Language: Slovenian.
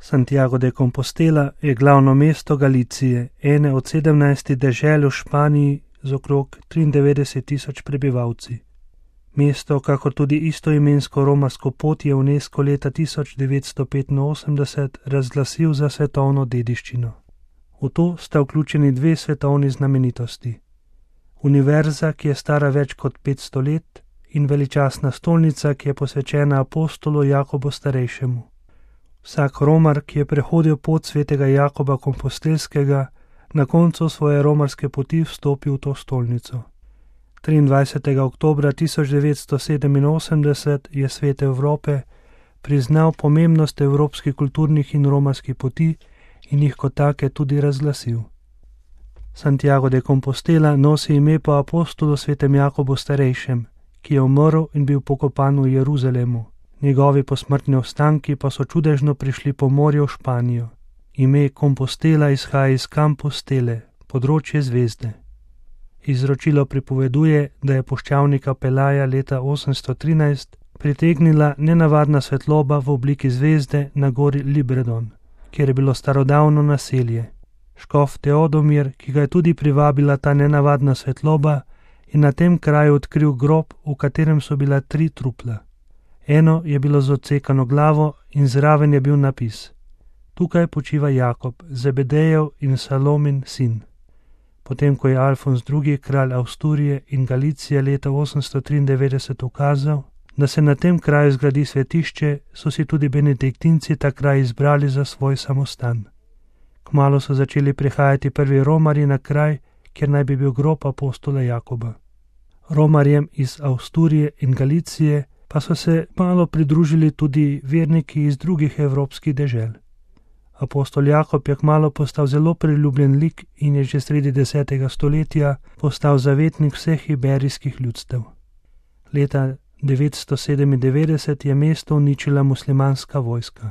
Santiago de Compostela je glavno mesto Galicije, ene od 17 dežel v Španiji z okrog 93.000 prebivalci. Mesto, kakor tudi istoimensko romarsko pot, je UNESCO leta 1985 razglasil za svetovno dediščino. V to sta vključeni dve svetovni znamenitosti. Univerza, ki je stara več kot 500 let, in veličastna stolnica, ki je posvečena apostolu Jakobu Starejšemu. Vsak romar, ki je prehodil pot svetega Jakoba Kompostelskega, na koncu svoje romarske poti vstopi v to stolnico. 23. oktobra 1987 je Svet Evrope priznal pomembnost evropskih kulturnih in romarskih poti in jih kot take tudi razglasil. Santiago de Compostela nosi ime po apostolu svetem Jakobu Starejšem, ki je umrl in bil pokopan v Jeruzalemu. Njegovi posmrtni ostanki pa so čudežno prišli po morju v Španijo. Ime Compostela izhaja iz Compostele, področje zvezde. Izročilo pripoveduje, da je puščavnika Pelaja leta 813 pritegnila nenavadna svetloba v obliki zvezde na gori Libredon, kjer je bilo starodavno naselje. Škof Teodomir, ki ga je tudi privabila ta nenavadna svetloba, je na tem kraju odkril grob, v katerem so bila 3 trupla. Eno je bilo z odsekano glavo in zraven je bil napis: Tukaj počiva Jakob, Zebedejev in Salomin sin. Potem, ko je Alfons II, kralj Avsturije in Galicije leta 893 ukazal, da se na tem kraju zgradi svetišče, so si tudi benediktinci ta kraj izbrali za svoj samostan. Kmalu so začeli prihajati prvi romarji na kraj, kjer naj bi bil grob apostola Jakoba. Romarjem iz Avsturije in Galicije pa so se malo pridružili tudi verniki iz drugih evropskih dežel. Apostol Jakob je kmalu postal zelo priljubljen lik in je že sredi 10. stoletja postal zavetnik vseh iberijskih ljudstev. Leta 997 je mesto uničila muslimanska vojska.